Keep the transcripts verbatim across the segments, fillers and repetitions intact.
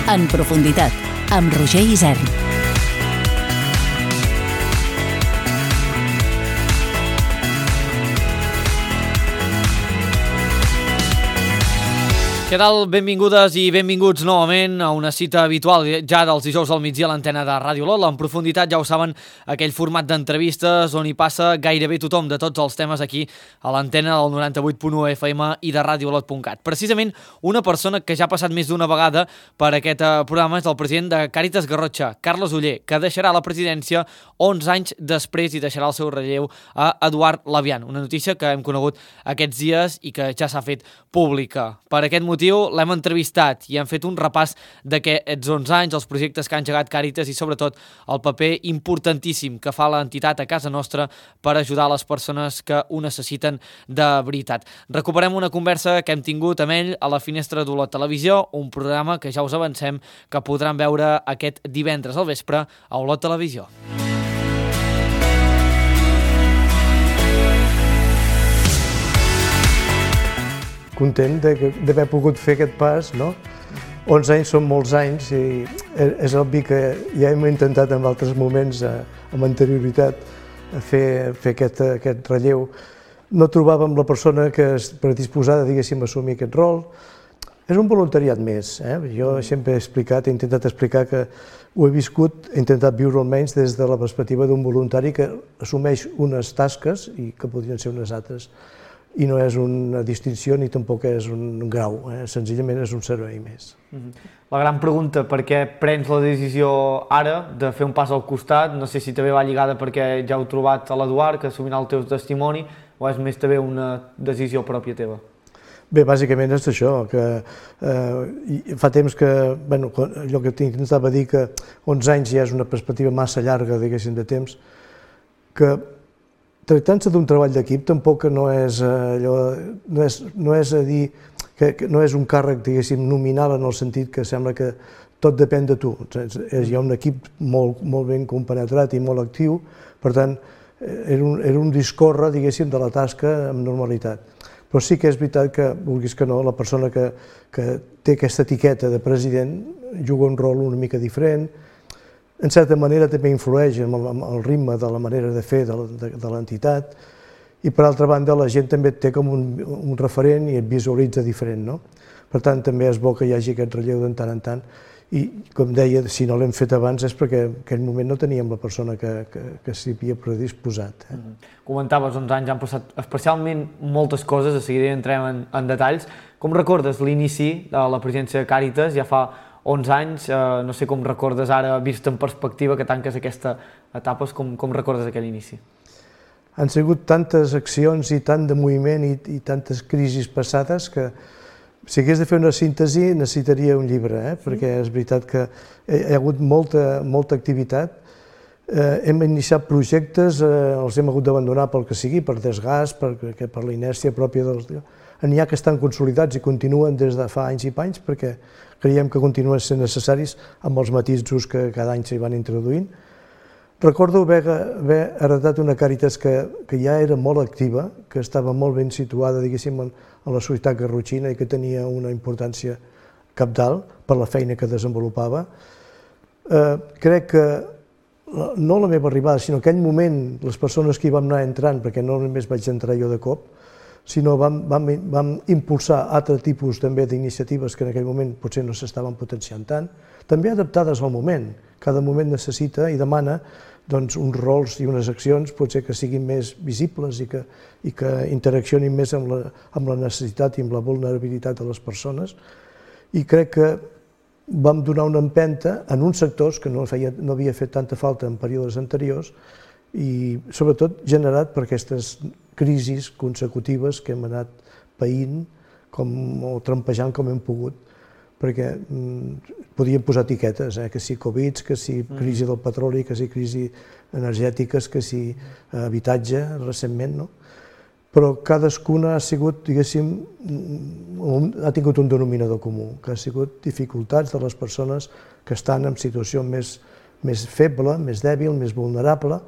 En profunditat, amb Roger Isern. Què tal? Benvingudes i benvinguts novament a una cita habitual ja dels dijous al migdia a l'antena de Ràdio Lot. En profunditat, ja ho saben, aquell format d'entrevistes on hi passa gairebé tothom de tots els temes aquí a l'antena del noranta-vuit punt u F M i de radiolot punt cat. Precisament una persona que ja ha passat més d'una vegada per aquest programa és el president de Càritas Garrotxa, Carles Oller, que deixarà la presidència onze anys després i deixarà el seu relleu a Eduard Labian. Una notícia que hem conegut aquests dies i que ja s'ha fet pública. Per aquest motiu l'hem entrevistat i hem fet un repàs d'aquests onze anys, els projectes que ha engegat Càritas i sobretot el paper importantíssim que fa l'entitat a casa nostra per ajudar les persones que ho necessiten de veritat. Recuperem una conversa que hem tingut amb ell a la Finestra d'Olot Televisió, un programa que ja us avancem que podran veure aquest divendres al vespre a Olot Televisió. Content d'haver pogut fer aquest pas, no? onze anys són molts anys i és obvi que ja hem intentat en altres moments, amb anterioritat, fer, fer aquest, aquest relleu. No trobàvem la persona que és predisposada, diguéssim, a assumir aquest rol. És un voluntariat més. Eh? Jo sempre he explicat, he intentat explicar que ho he viscut, he intentat viure almenys des de la perspectiva d'un voluntari que assumeix unes tasques i que podrien ser unes altres. I no és una distinció ni tampoc és un grau, eh? Senzillament és un servei més. La gran pregunta, per què prens la decisió ara de fer un pas al costat? No sé si també va lligada perquè ja heu trobat a l'Eduard, que assumirà el teu testimoni, o és més també una decisió pròpia teva? Bé, bàsicament és això, que eh, fa temps que, bueno, allò que t'intentava dir, que onze anys ja és una perspectiva massa llarga, diguéssim, de temps, que tractant-se d'un treball d'equip tampoc no és allò, no és, no és a dir, que, que no és un càrrec, diguéssim, nominal en el sentit que sembla que tot depèn de tu. Hi ha un equip molt, molt ben compenetrat i molt actiu, per tant, era un, era un discórrer, diguéssim, de la tasca amb normalitat. Però sí que és veritat que, vulguis que no, la persona que, que té aquesta etiqueta de president juga un rol una mica diferent. En certa manera també influeix en el ritme de la manera de fer de l'entitat i per altra banda la gent també et té com un, un referent i et visualitza diferent, no? Per tant també és bo que hi hagi aquest relleu de tant en tant i com deia, si no l'hem fet abans és perquè en aquell moment no teníem la persona que, que, que s'hi havia predisposat. Eh? Mm-hmm. Comentaves, onze anys han passat especialment moltes coses, de seguida entrem en, en detalls. Com recordes l'inici de la presidència de Càritas? Ja fa onze anys, eh, no sé com recordes ara, vist en perspectiva que tanques aquesta etapa, com, com recordes aquell inici? Han sigut tantes accions i tant de moviment i, i tantes crisis passades que si hagués de fer una síntesi necessitaria un llibre, eh? Perquè és veritat que hi ha hagut molta, molta activitat. Eh, hem iniciat projectes, eh, els hem hagut d'abandonar pel que sigui, per desgast, per, per la inèrcia pròpia dels... N'hi ha que estan consolidats i continuen des de fa anys i panys perquè creiem que continuen sent necessaris amb els matisos que cada any s'hi van introduint. Recordo haver, haver heretat una Càritas que, que ja era molt activa, que estava molt ben situada, diguéssim, en, en la societat garrotxina i que tenia una importància cabdal per la feina que desenvolupava. Eh, crec que no la meva arribada, sinó aquell moment, les persones que hi vam anar entrant, perquè no només vaig entrar jo de cop, sinó vam, vam, vam impulsar altre tipus també d'iniciatives que en aquell moment potser no s'estaven potenciant tant, també adaptades al moment. Cada moment necessita i demana doncs, uns rols i unes accions potser que siguin més visibles i que, i que interaccionin més amb la, amb la necessitat i amb la vulnerabilitat de les persones. I crec que vam donar una empenta en uns sectors que no, feia, no havia fet tanta falta en períodes anteriors i sobretot generat per aquestes crisis consecutives que hem anat païnt com, o trampejant com hem pogut, perquè mm, podíem posar etiquetes, eh? Que si Covid, que si crisi del petroli, que si crisi energètiques, que si habitatge recentment, no? Però cadascuna ha sigut, diguéssim, un, ha tingut un denominador comú, que ha sigut dificultats de les persones que estan en situació més, més feble, més dèbil, més vulnerable,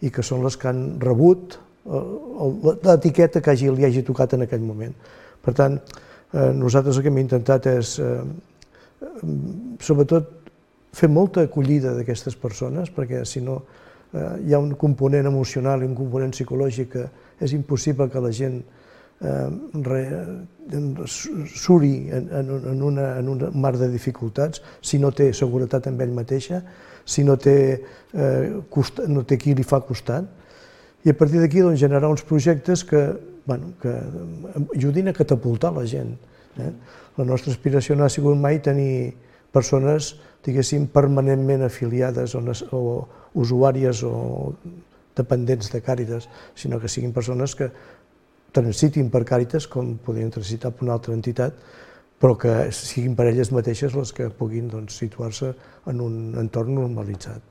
i que són les que han rebut l'etiqueta que hagi, li hagi tocat en aquell moment. Per tant, eh, nosaltres el que hem intentat és eh, sobretot, fer molta acollida d'aquestes persones, perquè si no hi ha un component emocional i un component psicològic que és impossible que la gent suri en un mar de dificultats si no té seguretat en ell mateixa, si no té qui li fa costat. I a partir d'aquí generar uns projectes que ajudin a catapultar la gent. La nostra aspiració no ha sigut mai tenir persones, diguéssim, permanentment afiliades o usuàries o dependents de Càritas, sinó que siguin persones que transitin per Càritas com podrien transitar per una altra entitat, però que siguin per elles mateixes les que puguin situar-se en un entorn normalitzat.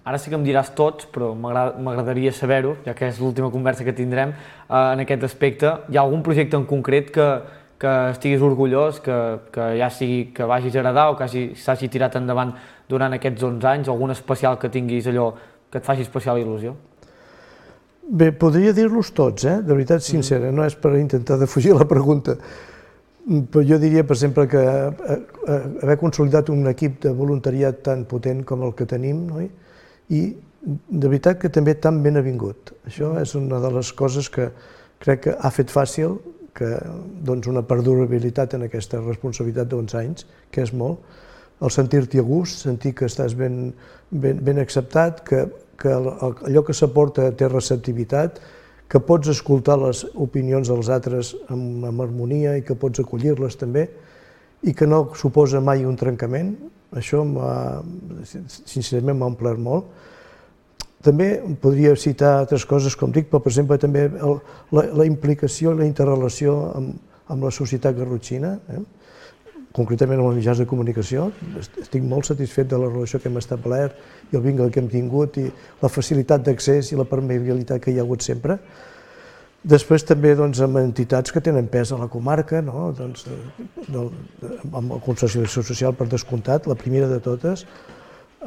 Ara sí que em diràs tots, però m'agradaria saber-ho, ja que és l'última conversa que tindrem en aquest aspecte. Hi ha algun projecte en concret que que estiguis orgullós, que ja sigui que vagis a agradar o que s'hagi tirat endavant durant aquests onze anys, algun especial que tinguis allò que et faci especial il·lusió? Bé, podria dir-los tots, eh? De veritat sincera, no és per intentar defugir la pregunta, però jo diria, per exemple, que haver consolidat un equip de voluntariat tan potent com el que tenim, i de veritat que també tan ben avingut. Això és una de les coses que crec que ha fet fàcil que una perdurabilitat en aquesta responsabilitat d'onze anys, que és molt, el sentir-t'hi a gust, sentir que estàs ben acceptat, que allò que s'aporta té receptivitat, que pots escoltar les opinions dels altres amb harmonia i que pots acollir-les també, i que no suposa mai un trencament. Això, sincerament, m'ha omplert molt. També podria citar altres coses, com dic, però, per exemple, també la implicació i la interrelació amb la societat garrotxina, concretament amb els mitjans de comunicació. Estic molt satisfet de la relació que hem establert i el vincle que hem tingut i la facilitat d'accés i la permeabilitat que hi ha hagut sempre. Després també amb entitats que tenen pes a la comarca, amb la Conscienciació Social per descomptat, la primera de totes,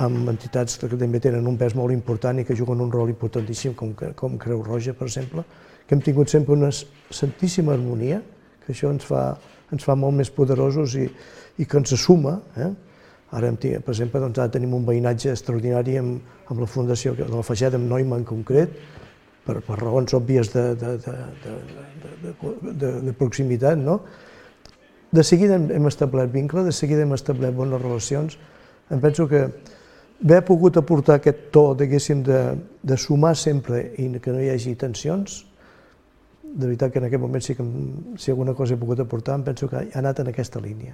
amb entitats que també tenen un pes molt important i que juguen un rol importantíssim, com Creu Roja, per exemple, que hem tingut sempre una santíssima harmonia, que això ens fa molt més poderosos i que ens suma. Ara, per exemple, ara tenim un veïnatge extraordinari amb la Fundació de la Fageda, amb Noima en concret, per raons òbvies de proximitat. De seguida hem establert vincle, de seguida hem establert bones relacions. Em penso que haver pogut aportar aquest to, diguéssim, de sumar sempre i que no hi hagi tensions, de veritat que en aquest moment sí que si alguna cosa he pogut aportar, em penso que ha anat en aquesta línia.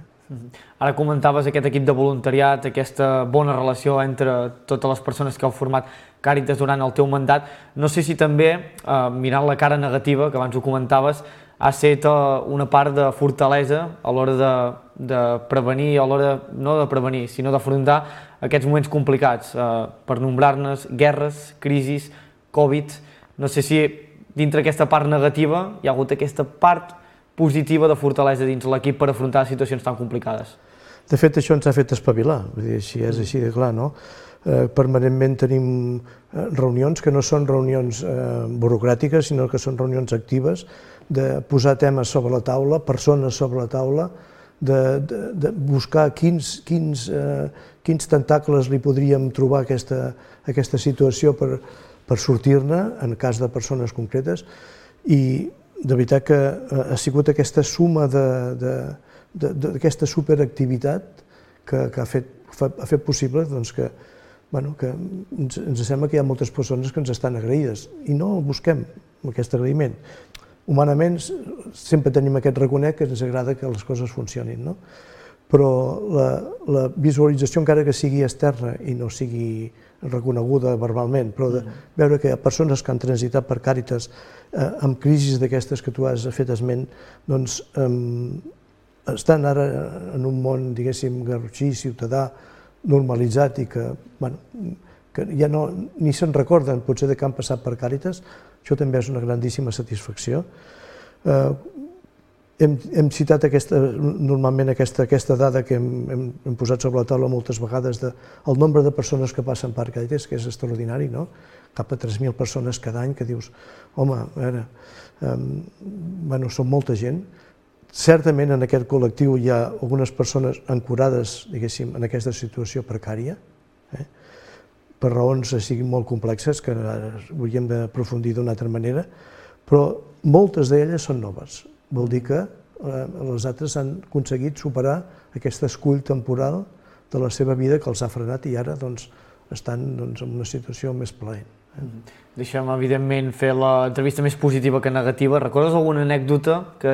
Ara comentaves aquest equip de voluntariat, aquesta bona relació entre totes les persones que heu format Càritas durant el teu mandat. No sé si també, mirant la cara negativa, que abans ho comentaves, ha estat una part de fortalesa a l'hora de prevenir, a l'hora no de prevenir, sinó d'afrontar aquests moments complicats, per nombrar-ne guerres, crisis, Covid. No sé si dintre aquesta part negativa hi ha hagut aquesta part positiva de fortalesa dins l'equip per afrontar situacions tan complicades. De fet, això ens ha fet espavilar, si és així de clar, no? Permanentment tenim reunions que no són reunions burocràtiques, sinó que són reunions actives, de posar temes sobre la taula, persones sobre la taula, de buscar quins tentacles li podríem trobar a aquesta situació per sortir-ne, en cas de persones concretes, i de veritat que ha sigut aquesta suma d'aquesta superactivitat que ha fet possible que ens sembla que hi ha moltes persones que ens estan agraïdes i no busquem aquest agraïment. Humanament sempre tenim aquest reconec que ens agrada que les coses funcionin, però la visualització, encara que sigui externa i no sigui reconeguda verbalment, però de veure que hi ha persones que han transitat per Càritas amb crisis d'aquestes que tu has fet esment, doncs estan ara en un món, diguéssim, garrotxí, ciutadà, normalitzat i que ja ni se'n recorden potser que han passat per Càritas, això també és una grandíssima satisfacció. Hem citat normalment aquesta dada que hem posat sobre la taula moltes vegades del nombre de persones que passen per Càritas, que és extraordinari, no? Cap a tres mil persones cada any que dius, home, a veure, són molta gent, certament en aquest col·lectiu hi ha algunes persones ancorades, diguéssim, en aquesta situació precària, eh? per raons així molt complexes que hauríem d'aprofundir d'una altra manera, però moltes d'elles són noves. Vol dir que eh, les altres han aconseguit superar aquest escull temporal de la seva vida que els ha frenat i ara doncs, estan doncs, en una situació més plaent. Eh? Deixem, evidentment, fer l'entrevista més positiva que negativa. Recordes alguna anècdota que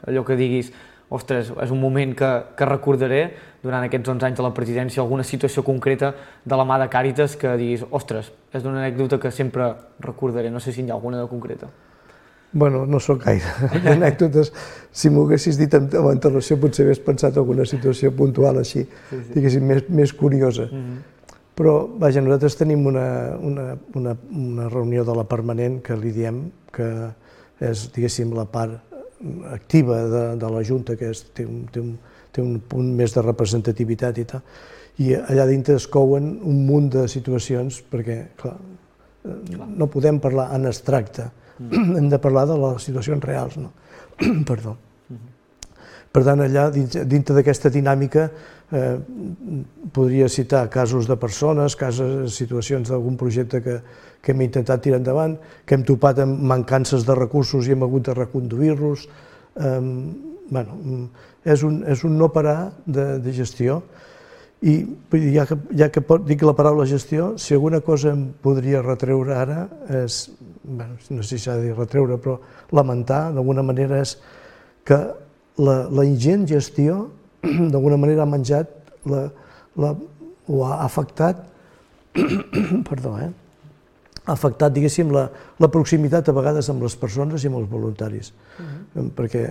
allò que diguis, ostres, és un moment que, que recordaré durant aquests onze anys de la presidència, alguna situació concreta de la mà de Càritas que diguis, ostres, és una anècdota que sempre recordaré, no sé si hi ha alguna de concreta. Bueno, no sóc gaire. Anècdotes, si m'ho haguessis dit amb antelació, potser hagués pensat en alguna situació puntual així, sí, sí. diguéssim, més, més curiosa. Mm-hmm. Però, vaja, nosaltres tenim una, una, una, una reunió de la permanent que li diem que és, diguéssim, la part activa de, de la Junta, que és, té, un, té, un, té un punt més de representativitat i tal, i allà dintre es couen un munt de situacions, perquè, clar, no podem parlar en abstracte, mm. hem de parlar de les situacions reals, no? Perdó. Mm-hmm. Per tant, allà, dintre d'aquesta dinàmica, eh, podria citar casos de persones, casos, situacions d'algun projecte que, que hem intentat tirar endavant, que hem topat amb mancances de recursos i hem hagut de reconduir-los. Eh, bueno, és un, és un no parar de, de gestió. I ja que, ja que dic la paraula gestió, si alguna cosa em podria retreure ara és, bueno, no sé si s'ha de dir retreure, però lamentar d'alguna manera és que la, la ingent gestió d'alguna manera ha menjat la, la, o ha afectat, perdó, eh? ha afectat, diguéssim, la, la proximitat a vegades amb les persones i amb els voluntaris. Uh-huh. Perquè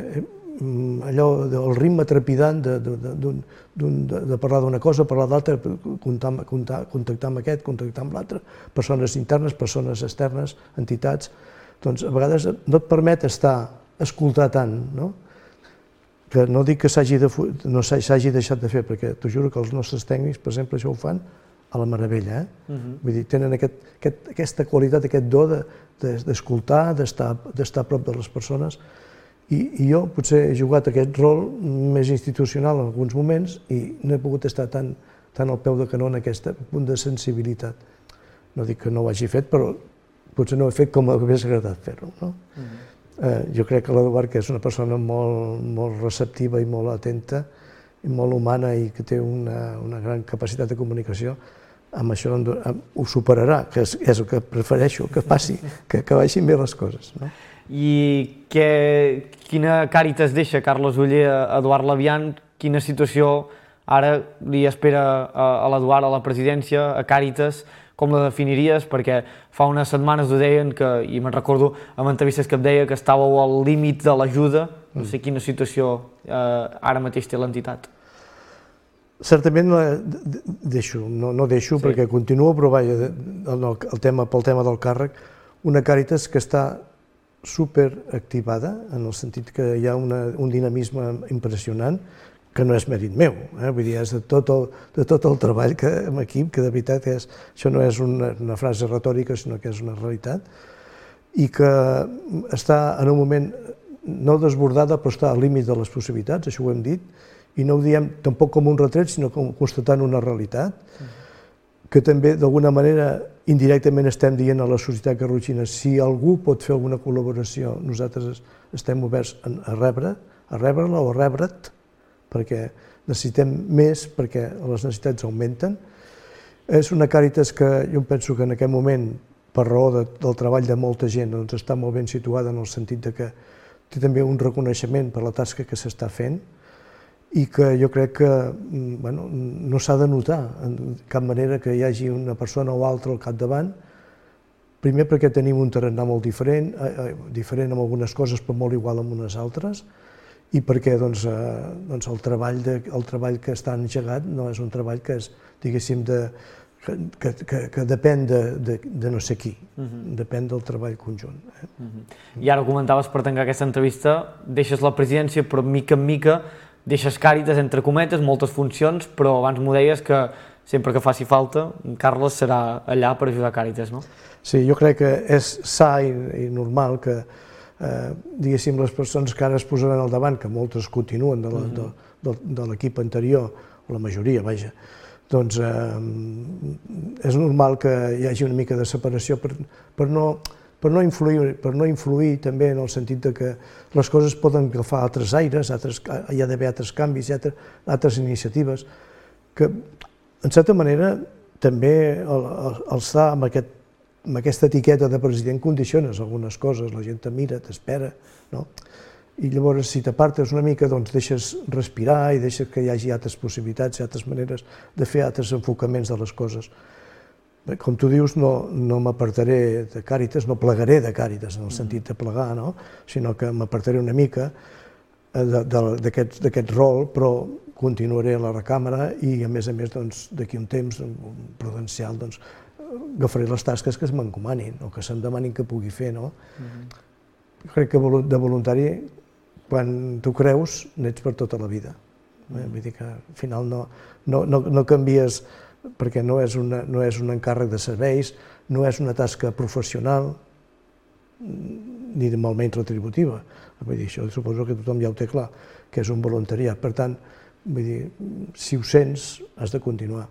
allò del ritme trepidant de, de, de, de, de parlar d'una cosa, parlar d'altra, contactar amb aquest, contactar amb l'altre, persones internes, persones externes, entitats, doncs a vegades no et permet estar, escoltar tant, no? Que no dic que s'hagi de, no s'hagi deixat de fer, perquè t'ho juro que els nostres tècnics, per exemple, això ho fan a la meravella, eh? Uh-huh. Vull dir, tenen aquest, aquest, aquesta qualitat, aquest do d'escoltar, de, d'estar, d'estar a prop de les persones. I, I jo potser he jugat aquest rol més institucional en alguns moments i no he pogut estar tan, tan al peu de canó en aquest punt de sensibilitat. No dic que no ho hagi fet, però potser no ho he fet com m'hagués agradat fer-ho. No? Mm-hmm. eh, jo crec que l'Eduard, que és una persona molt, molt receptiva i molt atenta, i molt humana i que té una, una gran capacitat de comunicació, amb això ho superarà, que és, és el que prefereixo, que passi, que, que vagin bé les coses. No? I que, quina Càritas deixa Carles Oller a Eduard Labian? Quina situació ara li espera a, a l'Eduard a la presidència, a Càritas? Com la definiries? Perquè fa unes setmanes ho deien, que, i me'n recordo amb entrevistes que em deia que estàveu al límit de l'ajuda. No sé quina situació eh, ara mateix té l'entitat. Certament la deixo, no, no deixo sí. perquè continuo, però vaja, el, el tema, pel tema del càrrec, una Càritas que està superactivada, en el sentit que hi ha una, un dinamisme impressionant, que no és mèrit meu, eh? Vull dir, és de tot el, de tot el treball que, en equip, que de veritat és, això no és una, una frase retòrica, sinó que és una realitat, i que està en un moment no desbordada, però està al límit de les possibilitats, això ho hem dit, i no ho diem tampoc com un retret, sinó com constatant una realitat, que també d'alguna manera indirectament estem dient a la societat garrotxina, si algú pot fer alguna col·laboració, nosaltres estem oberts a rebre, a rebre-la o a rebre't, perquè necessitem més, perquè les necessitats augmenten. És una Càritas que jo penso que en aquest moment, per raó de, del treball de molta gent, doncs està molt ben situada en el sentit de que té també un reconeixement per la tasca que s'està fent, i que jo crec que bueno, no s'ha de notar en cap manera que hi hagi una persona o altra al capdavant, primer perquè tenim un tarannà molt diferent, eh, diferent en algunes coses però molt igual en unes altres, i perquè doncs, eh, doncs el, treball de, el treball que està engegat no és un treball que és, diguéssim, de, que, que, que, que depèn de, de, de no sé qui, uh-huh. depèn del treball conjunt. Eh? Uh-huh. I ara comentaves, per tancar aquesta entrevista, deixes la presidència, però mica en mica deixes Càritas, entre cometes, moltes funcions, però abans m'ho deies que sempre que faci falta, Carles serà allà per ajudar Càritas, no? Sí, jo crec que és sa i, i normal que eh, diguéssim, les persones que ara es posaran al davant, que moltes continuen de, la, de, de, de l'equip anterior, o la majoria, vaja, doncs eh, és normal que hi hagi una mica de separació per, per, no, per, no influir, per no influir també en el sentit de que les coses poden agafar altres aires, altres, hi ha d'haver altres canvis, hi ha altres iniciatives, que en certa manera també el, el, el estar amb, aquest, amb aquesta etiqueta de president condiciones algunes coses, la gent te mira, t'espera, no? I llavors si t'apartes una mica doncs deixes respirar i deixes que hi hagi altres possibilitats i altres maneres de fer altres enfocaments de les coses. Com tu dius, no, no m'apartaré de Càritas, no plegaré de Càritas en el sentit de plegar, no? Sinó que m'apartaré una mica d'aquest rol, però continuaré a la recàmera i, a més a més, d'aquí un temps prudencial, agafaré les tasques que es m'encomanin o que se'm demanin que pugui fer. Jo crec que de voluntari, quan tu creus, n'ets per tota la vida. Vull dir que al final no canvies, perquè no és un encàrrec de serveis, no és una tasca professional, ni de molt menys retributiva. Vull dir, això suposo que tothom ja ho té clar, que és un voluntariat. Per tant, vull dir, si ho sents, has de continuar.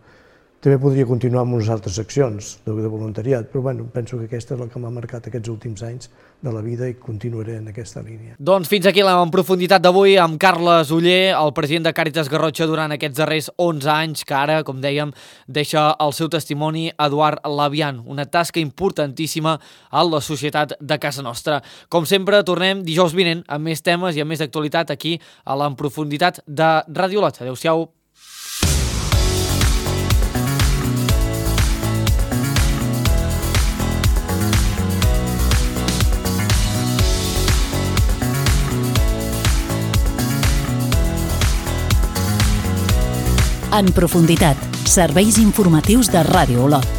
També podria continuar amb unes altres accions de voluntariat, però bueno, penso que aquesta és la que m'ha marcat aquests últims anys de la vida i continuaré en aquesta línia. Doncs fins aquí la en profunditat d'avui amb Carles Oller, el president de Càritas Garrotxa durant aquests darrers onze anys, que ara, com dèiem, deixa el seu testimoni Eduard Labian, una tasca importantíssima a la societat de casa nostra. Com sempre, tornem dijous vinent amb més temes i amb més actualitat aquí a la en profunditat de Ràdio Lot. Adéu-siau. En profunditat, serveis informatius de Ràdio Olot.